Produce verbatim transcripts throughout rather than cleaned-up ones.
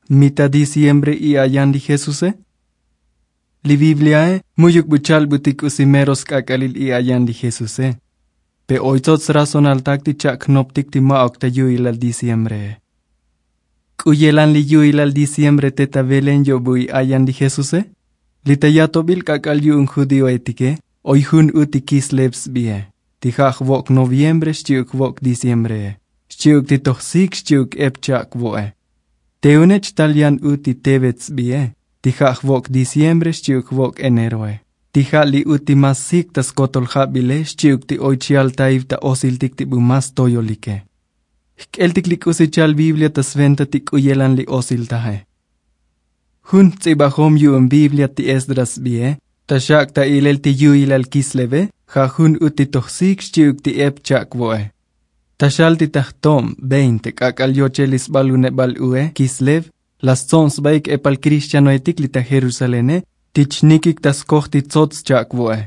Mi ta diciembre i'ayan li jesuse? Li bibliae mu'yuk bu chalbutik k'usi mero sk'ak'alil i'ayan li jesuse. Pe oy tsots razonaltak ti cha'knoptik ti ma'uk ta yu'ilal diciembree. K'u yelan li yu'ilal diciembre te ta belen yo'bu i'ayan li jesuse? Li ta yatobil k'ak'al yu'un judioetike oy jun u ti kislev sbie, ti ja' jvok' noviembre xchi'uk jvok' diciembree, xchi'uk ti toj sik xchi'uk ep cha'kvo'e. Te une chtal yan u ti tevet sbie, ti ja' jvok' diciembre xchi'uk jvok' eneroe, ti ja' li u ti mas sik ta skotol jabile xchi'uk ti oy chjaltaiv ta osiltik ti bu mas toyolike. Jk'eltik li k'usi chal biblia ta sventa ti k'u yelan li osiltaje. Jun jts'ibajom yu'un biblia ti esdras sbie, ta xak' ta ilel ti yu'ilal kisleve, ja' jun u ti toj sik xchi'uk ti ep cha'kvo'e. Ta xal ti ta jtob veinte k'ak'al yochel li sbalunebal ue kislev, la stsob sbaik epal kristianoetik li ta jerusalene ti chnikik ta skoj ti tsots cha'kvo'e.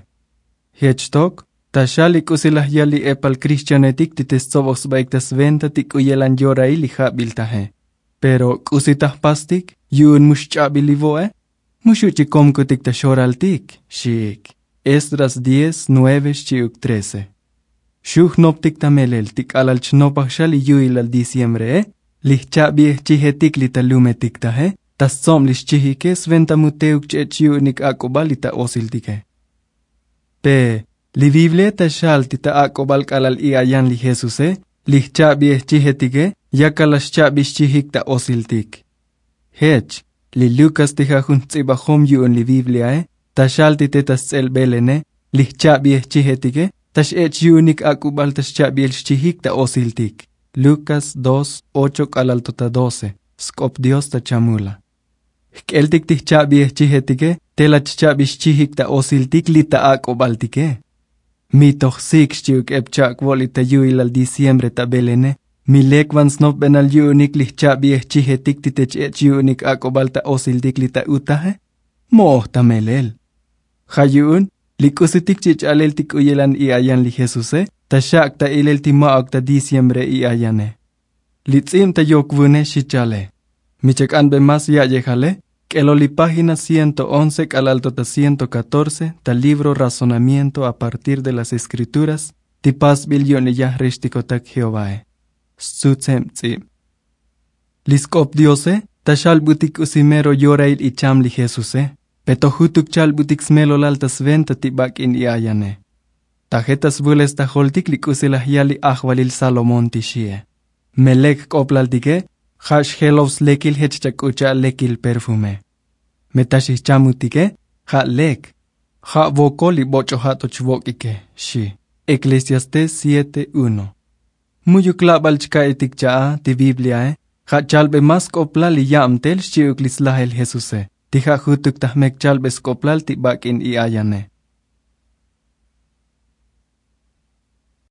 Jech tok, ta xal li k'usi laj yal li epal kristianoetik ti te stsoboj sbaik ta sventa ti k'u yelan yorail li jabiltaje. Pero k'usi ta jpastik yu'un mu xch'abil li vo'e? Mu xu' chik komkutik ta xoraltik, xiik. Esdras diez nueve xchi'uk trece. Xu' jnoptik ta melel ti k'alal chnopaj xa li yu'ilal diciembree, li jcha'biej chijetik li ta lumetik taje ta stsob li xchijike sventa mu teuk ch-ech' yu'unik ak'ubal li ta osiltike. Pe li biblia ta xal ti ta ak'ubal k'alal i'ayan li jesuse, li jcha'biej chijetike yakal la xcha'bi xchijik ta osiltik. Jech, li lukas ti ja' jun jts'ibajom yu'un li bibliae, ta xal ti te ta sts'elbelene, li jcha'biej chijetike ta x-ech' yu'unik ak'ubal ta xcha'biel xchijik ta osiltik. Lukas dos ocho k'alal to ta doce. Sk'op dios ta chamula. Jk'eltik ti jcha'biej chijetike te la chcha'bi xchijik ta osiltik li ta ak'ubaltike. Mi toj sik xchi'uk ep cha'kvo' li ta yu'ilal diciembre ta belene, mi lek van snopbenal yu'unik li jcha'biej chijetik ti te ch-ech' yu'unik ak'ubal ta osiltik li ta utaje? Mo'oj ta melel. Ja' yu'un li k'usitik chich'alel ti k'u yelan i'ayan li jesuse ta xak' ta ilel ti ma'uk ta diciembre i'ayane. Li ts'ib ta yok vune xi chale. Mi chak'anbe mas ya'yejale, k'elo li página ciento once k'alal to ta ciento catorce ta libro razonamiento a partir de las eskrituras ti pasbil yu'un li yajrextikotak jehovae. Stsutseb ts'ib. Li sk'op diose ta xalbutik k'usi mero yorail icham li jesuse, pe to jutuk chalbutik smelolal ta sventa ti bak'in i'ayane. Taje ta svules ta joltik li k'usi laj yal li ajvalil salomón ti xie. Me lek jk'oplaltike ja' xjelob slekil jech chak'ucha' lekil perfume. Me ta xijchamutike ja' lek, ja' vokol li boch'o ja' to chvok'ike, xi. Eklesiastés siete uno. Mu'yuk labal chka'itik cha'a ti bibliae, ja' chalbe mas sk'oplal li yabtel xchi'uk li slajel jesuse ti ja' jutuk ta jmek chalbe sk'oplal ti bak'in i'ayane.